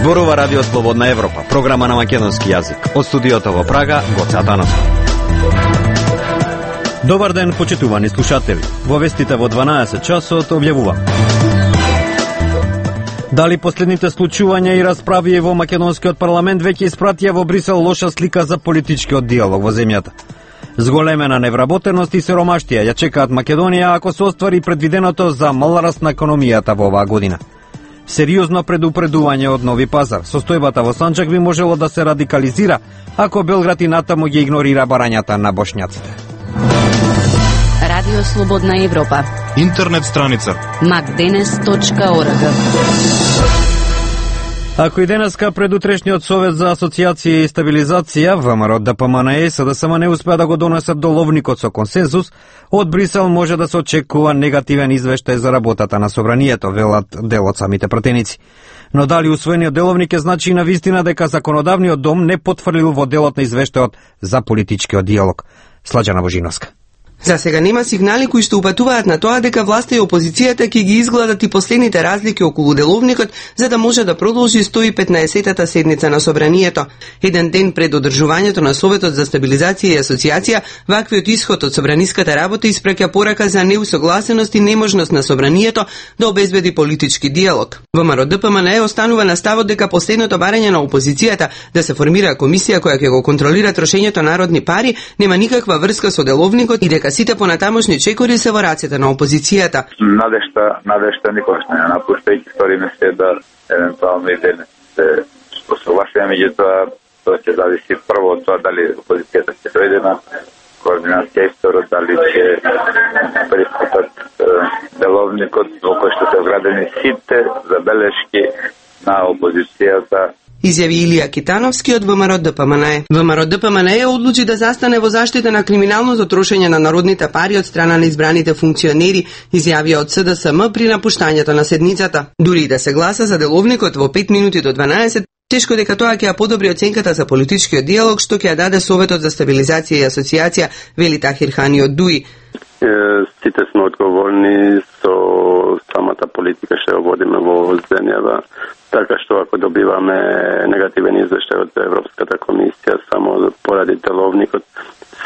Зборува Радио Слободна Европа, програма на македонски јазик. Од студиото во Прага, Гоце Атанасов. Добар ден, почитувани слушатели. Во вестите во 12 часот објавува: дали последните случувања и расправи во македонскиот парламент веќе испратија во Брисел лоша слика за политичкиот диалог во земјата. Зголемена невработеност и сиромаштија ја чекаат Македонија ако се оствари предвиденото за мал раст на економијата во оваа година. Сериозно предупредување од Нови Пазар. Состојбата во Санчак би можело да се радикализира ако Белград и натаму ги игнорира барањата на бошњаците. Радио Слободна Европа. Интернет страница macdenes.org. Ако и денеска предутрешниот Совет за асоциација и стабилизација, ВМРО, ДПМН и СДСМ не успеа да го донесат доловникот со консензус, од Брисел може да се очекува негативен извештај за работата на собранието, велат дел од самите пратеници. Но дали усвоениот деловник е значи на вистина дека законодавниот дом не потврдил во делот на извештајот за политичкиот диалог? Слаđана Божиновска. За сега нема сигнали кои што упатуваат на тоа дека власта и опозицијата ќе ги изгладат и последните разлики околу деловникот за да може да продолжи 115-тата седница на собранието. Еден ден пред одржувањето на Советот за стабилизација и асоциација, ваквиот исход од собраниската работа испраќа порака за неусогласеност и неможност на собранието да обезбеди политички диалог. ВМРО ДПМН останува на ставот дека последното барање на опозицијата да се формира комисија која ќе го контролира трошењето народни пари нема никаква врска со деловникот и дека сите понатамошни чекори се во рацете на опозицијата. Надежта никогаш не напушта и стори ми се да евентуално и денес се согласиме, меѓутоа тоа ќе зависи прво од тоа дали опозицијата ќе дојде на координација и второ дали ќе пристапат деловникот во кој што се вградени сите забелешки на опозицијата. Изјави Илија Китановски од ВМРО ДПМН. ВМРО ДПМН одлучи да застане во заштита на криминалното трошење на народните пари од страна на избраните функционери, изјавија од СДСМ при напуштањето на седницата. Дури и да се гласа за деловникот во 5 минути до 12, тешко дека тоа ќе ја подобри оценката за политичкиот диалог што ќе ја даде Советот за стабилизација и асоциација, вели Тахир Хани од ДУИ. Сите сме одговорни со самата политика што ја водиме во земјава, така што ако добиваме негативен извештај од Европската комисија само поради деловникот,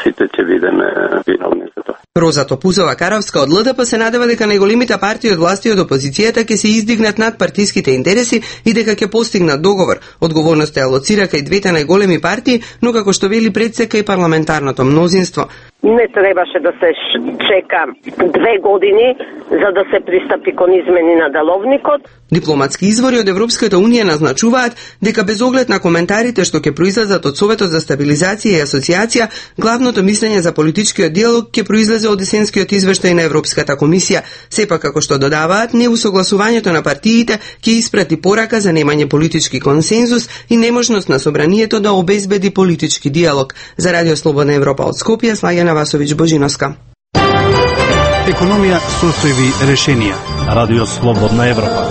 сите ќе бидеме виновни за тоа. Роза Топузова-Каравска од ЛДП се надева дека најголемите партии од власти од опозицијата ќе се издигнат над партиските интереси и дека ќе постигнат договор. Одговорноста ја лоцира кај двете најголеми партии, но како што вели предсека и парламентарното мнозинство. Не требаше да се чека 2 години за да се пристапи кон измени на деловникот. Дипломатски извори од Европската унија назначуваат дека без оглед на коментарите што ќе произлезат од Советот за стабилизација и асоциација, главното мислење за политичкиот диалог ќе произлезе од есенскиот извештај на Европската комисија. Сепак, како што додаваат, неусогласувањето на партиите ќе испрати порака за немање политички консензус и неможност на собранието да обезбеди политички диалог. За Радио Слободна Европа од Скопје, Слаѓана Васовиќ Божиновска. Економија, состојби, решенија. Радио Слободна Европа.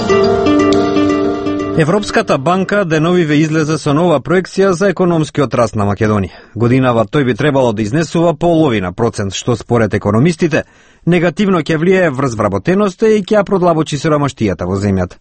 Европската банка деновиве излезе со нова проекција за економскиот раст на Македонија. Годинава тој би требало да изнесува половина процент, што според економистите негативно ќе влијае врз вработеноста и ќе ја продлабочи сиромаштијата во земјата.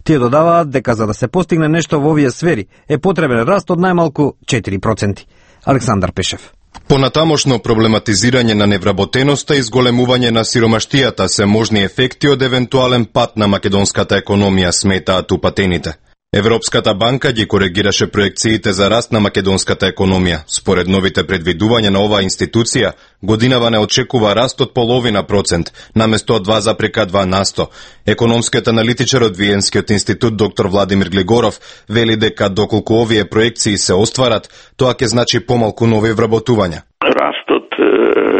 Тие додаваат дека за да се постигне нешто во овие сфери е потребен раст од најмалку 4%. Александар Пешев. Понатамошно проблематизирање на невработеноста и зголемување на сиромаштијата се можни ефекти од евентуален пат на македонската економија, сметаат упатените. Европската банка ги коригираше проекциите за раст на македонската економија. Според новите предвидувања на оваа институција, годинава не очекува раст од половина процент, наместо 2,2%. Економскиот аналитичар од Виенскиот институт доктор Владимир Глигоров вели дека доколку овие проекции се остварат, тоа ќе значи помалку нови вработувања. Растот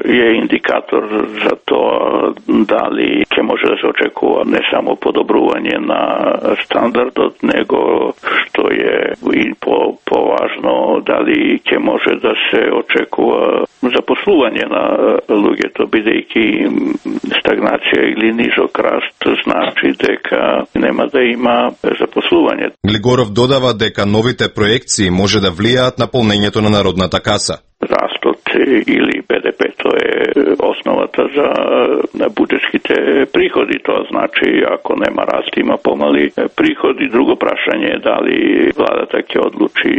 е индикатор за тоа дали ќе може да се очекува не само подобрување на стандардот, него што е и поважно дали ќе може да се очекува запослување на луѓето, бидејќи стагнација или низок раст значи дека нема да има запослување. Глигоров додава дека новите проекции може да влијаат на полнењето на народната каса. Растот или BDP, тоа е основата за буџетските приходи. Тоа значи, ако нема раст, има помали приходи. Друго прашање е дали владата ќе одлучи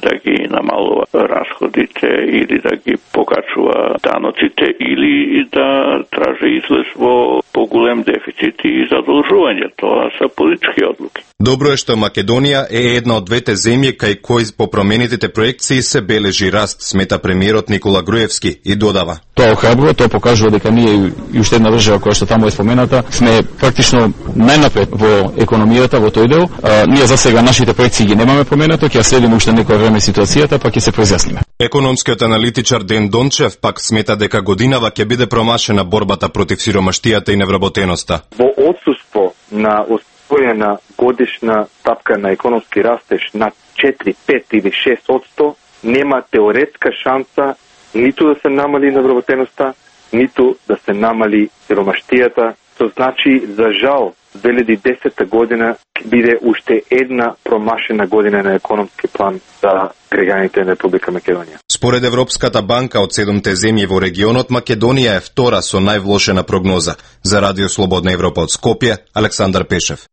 да ги намалува расходите или да ги покачува даноците или да тражи излез во поголем дефицит и задолжување. Тоа се политички одлуки. Добро е што Македонија е една од двете земји кај кои по променетите проекции се бележи раст, смета премиерот Никола Груевски и додава. Тоа охрабрува, тоа покажува дека ние и уште една држава која што таму е спомената, сме практично најнапред во економијата во тој дел. Ние за сега нашите проекции ги немаме поменато, ќе следиме уште некој време ситуацијата, па ќе се произјасниме. Економскиот аналитичар Ден Дончев пак смета дека годинава ќе биде промашена борбата против сиромаштијата и невработеноста. Во отсуство на освоена годишна стапка на економски растеж на 4, 5 или 6%, нема теоретска шанса ниту да се намали невработеноста, ниту да се намали сиромаштијата. Тоа значи, за жал, 2010 година ќе биде уште една промашена година на економски план за граѓаните на Република Македонија. Според Европската банка, од 7 земји во регионот, Македонија е втора со највлошена прогноза. За Радио Слободна Европа од Скопје, Александар Пешев.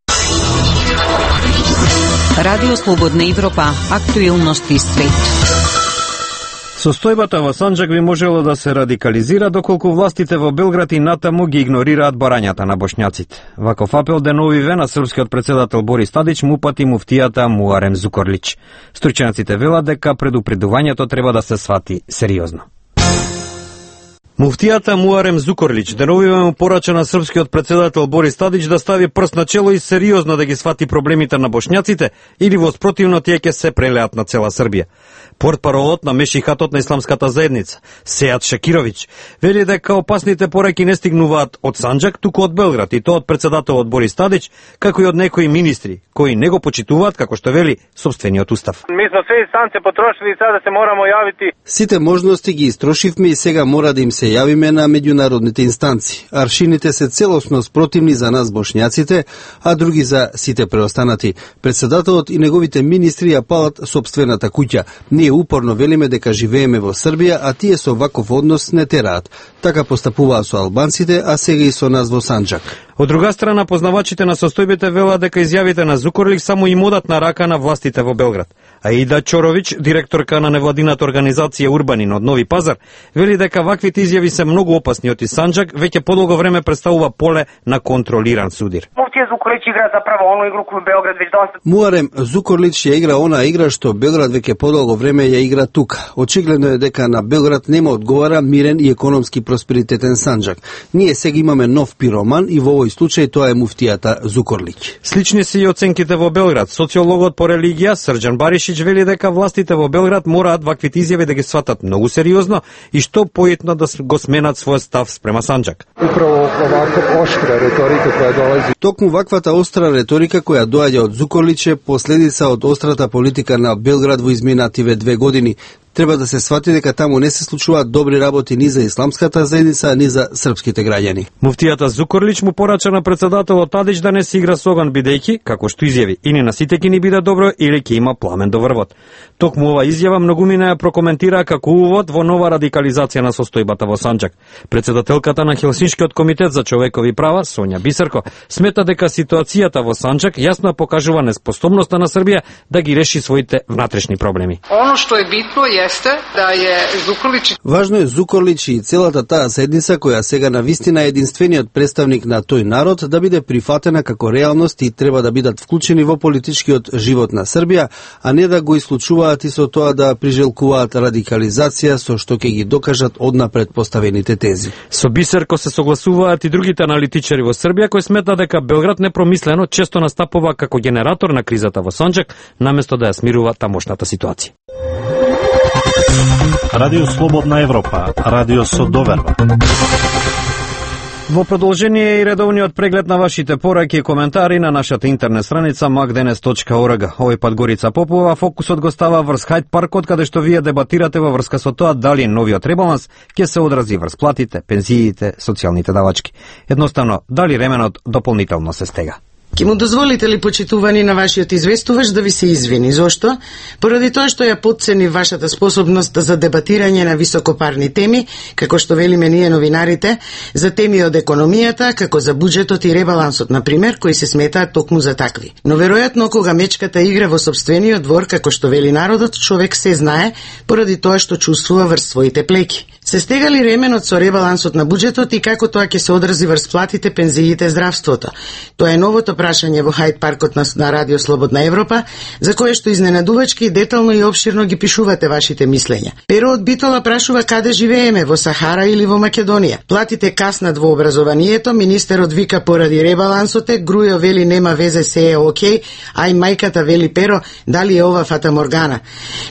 Радио Слободна Европа, актуелности свет. Состојбата во Санџак би можело да се радикализира доколку властите во Белград и натаму ги игнорираат барањата на бошњаците. Ваков апел деновиве на српскиот председател Борис Тадич му упати муфтијата Муарем Зукорлич. Стручњаците велат дека предупредувањето треба да се свати сериозно. Муфтијата Муарем Зукорлич деновиве му порача на српскиот председател Борис Тадич да стави прст на чело и сериозно да ги свати проблемите на бошњаците или во спротивно тие ќе се прелеат на цела Србија. Портпаролот на Мешихатот на исламската заедница, Сејат Шакировиќ, вели дека опасните пораки не стигнуваат од Санџак, туку од Белград, и тоа од председателот Борис Тадич, како и од некои министри, кои не го почитуваат, како што вели собствениот устав. Ми сме све инстанце потрошили и сега се морамо јавити. Сите можности ги истрошивме и сега мора да им се јавиме на меѓународните инстанци. Аршините се целосно спротивни за нас бошњаците, а други за сите преостанати. Председателот и неговите министри ја палат собствената куќа. Ние упорно велиме дека живееме во Србија, а тие со ваков однос не тераат. Така постапуваа со албанците, а сега и со нас во Санџак. Од друга страна, познавачите на состојбите велат дека изјавите на Зукорлик само им одат на рака на властите во Белград. Аида Чоровиќ, директорка на невладината организација Урбанин од Нови Пазар, вели дека ваквите изјави се многу опасни од Санџак, веќе подолго време представува поле на контролиран судир. Муфтија Зукорлич игра заправо ону игру кој Белград веќе доста. Муарем Зукорлич ја игра она игра што Белград веќе подолго време ја игра тука. Очигледно е дека на Белград нема одговара мирен и економски просперитетен Санџак. Ние сега имаме нов пироман и во овој случај тоа е муфтијата Зукорлич. Слични се и оценките во Белград. Социологот по религија Срđan Баришиć вели дека властите во Белград мораат ваквите изјави да ги сватат многу сериозно и што поетно да го сменат својот став спрема Санџак. Управо оваква оштра реторика која долази. Токму ваквата остра реторика која доаѓа од Зукорлич е последица од острата политика на Белград во изминативе 2 години. Треба да се свати дека таму не се случуваат добри работи ни за исламската заедница, ни за српските граѓани. Муфтијата Зукорлич му порача на председателот Тадич да не се игра со оган, бидејќи, како што изјави, или на сите ќе ни биде добро, или ќе има пламен до врвот. Токму ова изјава многумина ја прокоментира како увод во нова радикализација на состојбата во Санџак. Председателката на Хелсиншкиот комитет за човекови права, Сонја Бисерко, смета дека ситуацијата во Санџак јасно покажува неспособноста на Србија да ги реши своите внатрешни проблеми. Оно што е битно jeste da je Zukorlić... Важно е Зукорлич и целата таа заедница која сега навистина е единствениот представник на тој народ да биде прифатена како реалност и треба да бидат вклучени во политичкиот живот на Србија, а не да го исклучуваат и со тоа да прижелкуваат радикализација со што ќе ги докажат однапред поставените тези. Со Бисерко се согласуваат и другите аналитичари во Србија кои сметаат дека Белград непромислено често настапува како генератор на кризата во Санџак, наместо да ја смирува тамошната ситуација. Радио Слободна Европа, радио со доверба. Во продолжение и редовниот преглед на вашите пораки и коментари на нашата интернет страница magdenes.org. Овој пат Горица Попова фокусот го става врз Хајд паркот, каде што вие дебатирате во врска со тоа дали новиот ребаланс ќе се одрази врз платите, пензиите, социјалните давачки. Едноставно, дали ременот дополнително се стега. Ке му дозволите ли, почитувани, на вашиот известувач да ви се извини? Зошто? Поради тоа што ја потцени вашата способност за дебатирање на високопарни теми, како што велиме ние новинарите, за теми од економијата, како за буџетот и ребалансот, например, кои се сметаат токму за такви. Но веројатно кога мечката игра во сопствениот двор, како што вели народот, човек се знае поради тоа што чувствува врз своите плеки. Се стега ли ременот со ребалансот на буџетот и како тоа ќе се одрази врз платите, пензиите, здравството? Тоа е новото прашање во Хајд паркот на Радио Слободна Европа, за кое што изненадувачки, детално и обширно ги пишувате вашите мислења. Перо од Битола прашува каде живееме, во Сахара или во Македонија. Платите каснат во образованието, министерот вика поради ребалансот, Грујо вели нема везе, се е окей, ај мајката вели Перо, дали е ова фата моргана.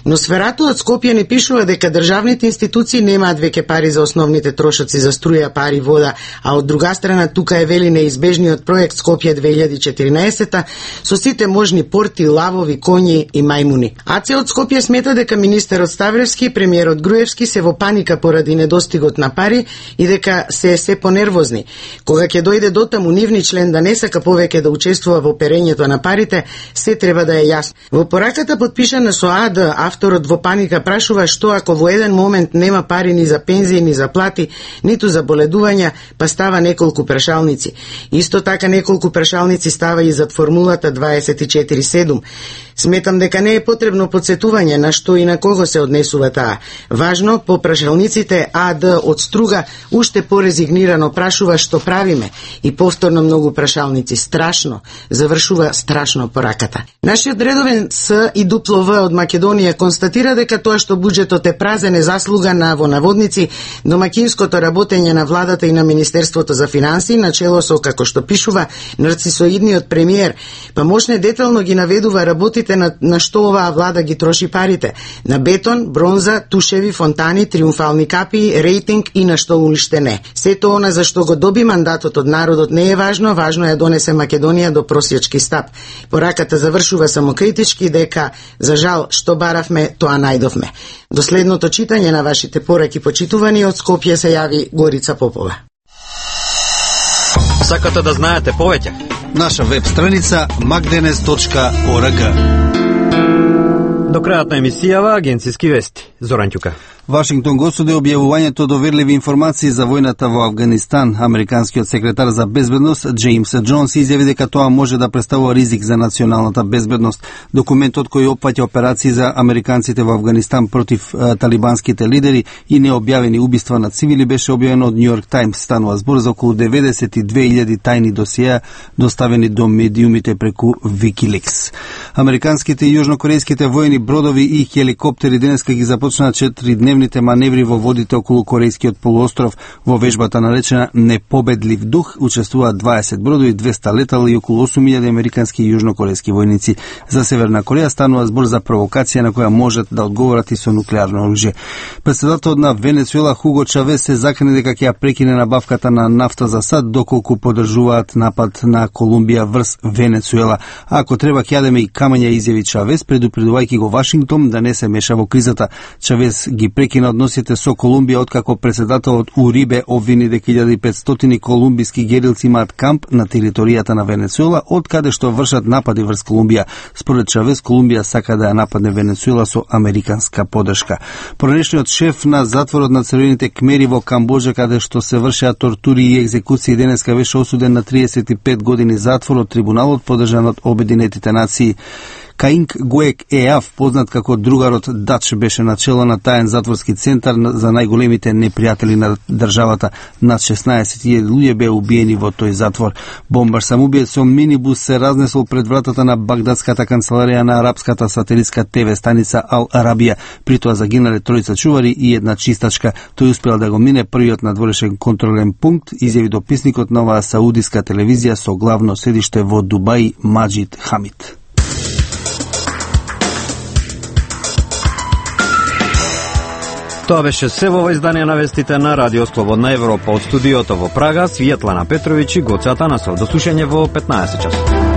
Но сферато од Скопје ни пишува дека државните институции немаат веќе пари за основните трошоци за струја, пари, вода, а од друга страна тука е вели неизбежниот проект Скопје 2014 со сите можни порти, лавови, коњи и мајмуни. АЦ од Скопје смета дека министерот Ставревски и премиерот Груевски се во паника поради недостигот на пари и дека се понервозни. Кога ќе дојде дотаму нивни член да не сака повеќе да учествува во перењето на парите, се треба да е јасно. Во пораката подпишана со АД, авторот во паника прашува што ако во еден момент нема пари ни за пензии, ни за плати, ниту за боледувања, па става неколку прашалници. Исто така неколку прашалници става и зад формулата 24/7. Сметам дека не е потребно подсетување на што и на кого се однесува таа. Важно, по прашалниците АД од струга уште порезигнирано прашува што правиме и повторно многу прашалници. Страшно. Завршува страшно пораката. Нашиот редовен С и дупло В од Македонија констатира дека тоа што буџетот е празен е заслуга на, во наводници, домакинското работење на владата и на Министерството за финансии, начело со, како што пишува, нарцисоидниот премиер, па мошне детално ги наведува работите на што оваа влада ги троши парите. На бетон, бронза, тушеви, фонтани, триумфални капи, рейтинг и на што уште не. Сето она за што го доби мандатот од народот не е важно, важно е да донесе Македонија до просјачки стап. Пораката завршува самокритички дека, за жал, што баравме, тоа најдовме. До следното читање на вашите пораки, почитувани, од Скопје се јави Горица Попова. Сакате да знаете повеќе? Наша веб страница magdenes.org. До крајот на емисијава агенциски вести. Зоран Ќука. Вашингтон го осуди објавувањето доверливи информации за војната во Авганистан. Американскиот секретар за безбедност Джеймс Џонс изјави дека тоа може да представува ризик за националната безбедност. Документот кој опфаќа операции за американците во Авганистан против талибанските лидери и необјавени убиства на цивили беше објавен од Нью Йорк Таймс. Станува збор за околу 92.000 тајни досиеа доставени до медиумите преку Wikileaks. Американските и јужнокорејските војни бродови и хеликоптери денеска ги започнаа 4-дневните маневри во водите околу Корејскиот полуостров. Во вежбата наречена Непобедлив дух учествуваат 20 бродови, 200 летала и околу 8.000 американски и јужнокорејски војници. За Северна Кореја станува збор за провокација на која можат да одговорат и со нуклеарно оружје. Председателот на Венецуела Хуго Чавес се закани дека ќе ја прекине набавката на нафта за сад доколку поддржуваат напад на Колумбија врз Венецуела. Ако треба ќе јадеме и камења, изјави Чавес, предупредувајќи го Вашингтон да не се меша во кризата. Чавес ги прекина односите со Колумбија откако председателот Урибе обвини дека 1500 колумбиски герилци имаат камп на територијата на Венецуела, од каде што вршат напади врз Колумбија. Според Чавес, Колумбија сака да ја нападне Венецуела со американска поддршка. Поранешниот шеф на затворот на Црвените кмери во Камбоџа, каде што се вршеа тортури и екзекуции, денеска беше осуден на 35 години затвор од трибуналот поддржан од Обединетите нации. Каинг Гуек Еав, познат како другарот Дач, беше начело на таен затворски центар за најголемите непријатели на државата. Над 16.000 луѓе беа убиени во тој затвор. Бомбар самоубиец со минибус се разнесол пред вратата на багдадската канцеларија на арапската сателитска ТВ станица Ал Арабија. При тоа загинале тројца чувари и една чистачка. Тој успел да го мине првиот надворешен контролен пункт, изјави дописникот на оваа саудиска телевизија со главно седиште во Дубај Маџид Хамид. Тоа беше се во издание на вестите на Радио Слободна Европа. Од студиото во Прага, Светлана Петровиќ и Гоце Атанасов. До слушање во 15 часот.